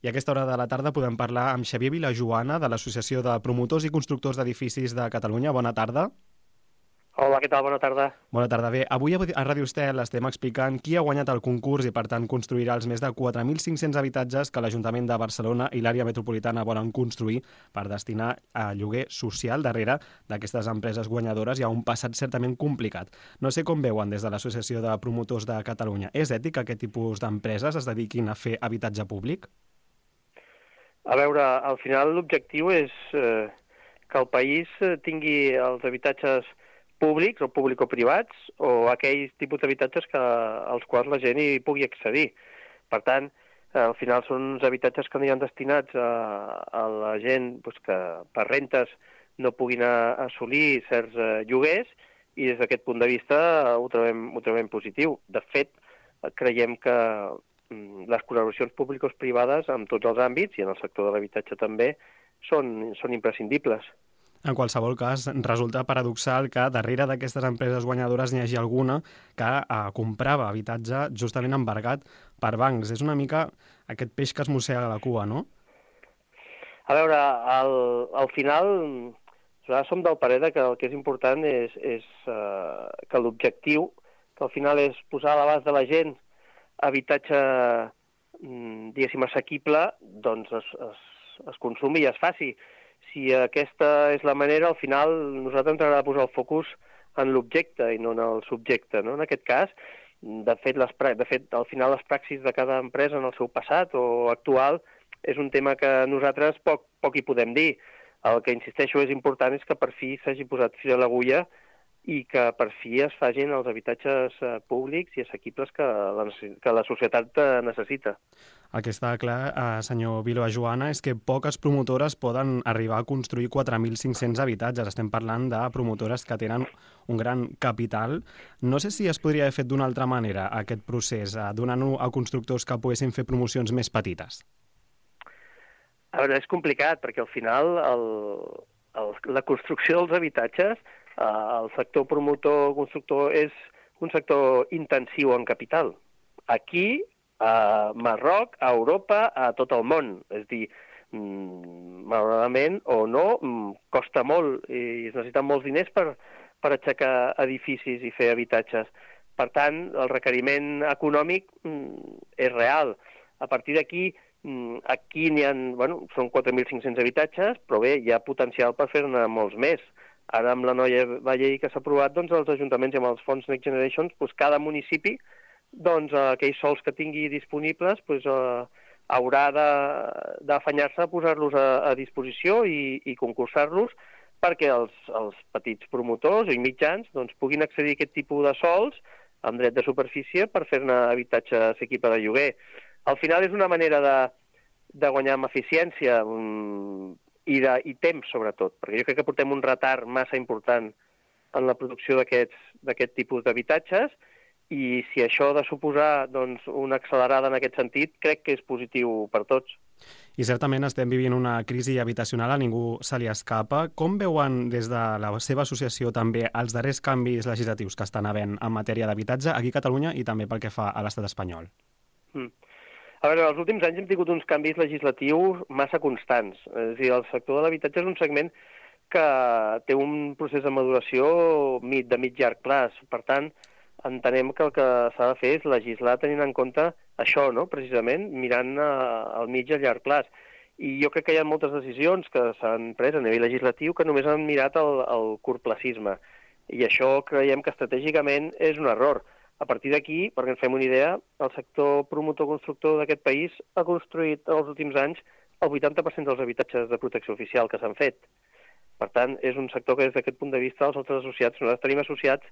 I a aquesta hora de la tarda podem parlar amb Xavier Vilajoana, de l'Associació de Promotors i Constructors d'Edificis de Catalunya. Bona tarda. Hola, què tal? Bona tarda. Bona tarda. Bé, avui a Ràdio Estel estem explicant qui ha guanyat el concurs i, per tant, construirà els més de 4.500 habitatges que l'Ajuntament de Barcelona i l'àrea metropolitana volen construir per destinar a lloguer social. Darrere d'aquestes empreses guanyadores hi ha un passat certament complicat. No sé com veuen des de l'Associació de Promotors de Catalunya. És ètic que aquest tipus d'empreses es dediquin a fer habitatge públic? A veure, al final l'objectiu és que el país tingui els habitatges públics o público-privats o aquells tipus d'habitatges als quals la gent hi pugui accedir. Per tant, al final són uns habitatges que aniran destinats a la gent que per rentes no puguin assolir certs lloguers i des d'aquest punt de vista ho trobem positiu. De fet, creiem que les col·laboracions público-privades en tots els àmbits, i en el sector de l'habitatge també, són imprescindibles. En qualsevol cas, resulta paradoxal que darrere d'aquestes empreses guanyadores n'hi hagi alguna que comprava habitatge justament embargat per bancs. És una mica aquest peix que es mossega la cua, no? A veure, al final, nosaltres som del parer que el que és important és que l'objectiu, que al final és posar a l'abast de la gent habitatge, diguéssim, assequible, doncs es consumi i es faci. Si aquesta és la manera, al final nosaltres ens agrada posar el focus en l'objecte i no en el subjecte, no? En aquest cas, de fet, al final les praxis de cada empresa en el seu passat o actual és un tema que nosaltres poc hi podem dir. El que insisteixo és important és que per fi s'hagi posat fil a l'agulla i que per fi es facin els habitatges públics i assequibles que la societat necessita. El que està clar, senyor Vilajoana, és que poques promotores poden arribar a construir 4.500 habitatges. Estem parlant de promotores que tenen un gran capital. No sé si es podria haver fet d'una altra manera aquest procés, donant-ho a constructors que poguessin fer promocions més petites. A veure, és complicat, perquè al final la construcció dels habitatges, el sector promotor-constructor és un sector intensiu en capital. Aquí, a Marroc, a Europa, a tot el món. És a dir, malauradament o no, costa molt i es necessiten molts diners per aixecar edificis i fer habitatges. Per tant, el requeriment econòmic és real. A partir d'aquí, aquí n'hi ha, són 4.500 habitatges, però bé, hi ha potencial per fer-ne molts més. Ara, amb la nova llei que s'ha aprovat, doncs, els ajuntaments i amb els fons Next Generation, doncs, cada municipi, doncs, aquells sols que tingui disponibles, doncs, haurà d'afanyar-se a posar-los a disposició i concursar-los perquè els petits promotors i mitjans doncs, puguin accedir a aquest tipus de sols amb dret de superfície per fer-ne habitatge assequible de lloguer. Al final és una manera de guanyar amb eficiència i temps, sobretot, perquè jo crec que portem un retard massa important en la producció d'aquest tipus d'habitatges i si això ha de suposar doncs, una accelerada en aquest sentit, crec que és positiu per tots. I certament estem vivint una crisi habitacional, a ningú se li escapa. Com veuen des de la seva associació també els darrers canvis legislatius que estan havent en matèria d'habitatge aquí a Catalunya i també pel que fa a l'estat espanyol? A veure, els últims anys hem tingut uns canvis legislatius massa constants. És a dir, el sector de l'habitatge és un segment que té un procés de maduració de mig-llarg plaç. Per tant, entenem que el que s'ha de fer és legislar tenint en compte això, no? Precisament mirant al mig i a llarg plaç. I jo crec que hi ha moltes decisions que s'han pres a nivell legislatiu que només han mirat el curtplacisme. I això creiem que estratègicament és un error. A partir d'aquí, perquè ens fem una idea, el sector promotor-constructor d'aquest país ha construït en els últims anys el 80% dels habitatges de protecció oficial que s'han fet. Per tant, és un sector que des d'aquest punt de vista els altres associats, nosaltres tenim associats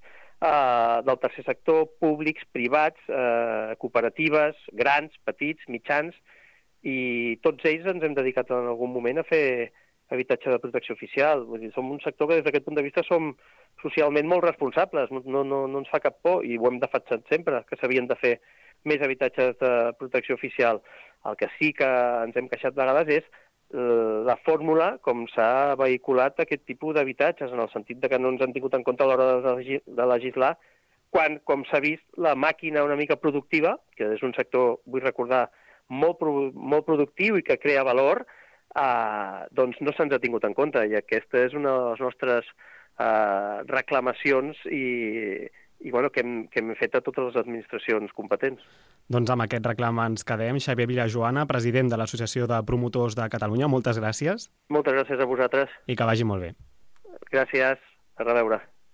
del tercer sector, públics, privats, cooperatives, grans, petits, mitjans, i tots ells ens hem dedicat en algun moment a fer habitatge de protecció oficial. Vull dir, som un sector que des d'aquest punt de vista som socialment molt responsables, no ens fa cap por i ho hem defensat sempre, que s'havien de fer més habitatges de protecció oficial. El que sí que ens hem queixat de vegades és la fórmula com s'ha vehiculat aquest tipus d'habitatges, en el sentit de que no ens han tingut en compte a l'hora de legislar, quan, com s'ha vist, la màquina una mica productiva, que és un sector, vull recordar, molt productiu i que crea valor, doncs no se'ns ha tingut en compte, i aquesta és una de les nostres reclamacions i bueno, que hem fet a totes les administracions competents. Doncs amb aquest reclam ens quedem. Xavier Vilajoana, president de l'Associació de Promotors de Catalunya, moltes gràcies. Moltes gràcies a vosaltres. I que vagi molt bé. Gràcies. A reveure.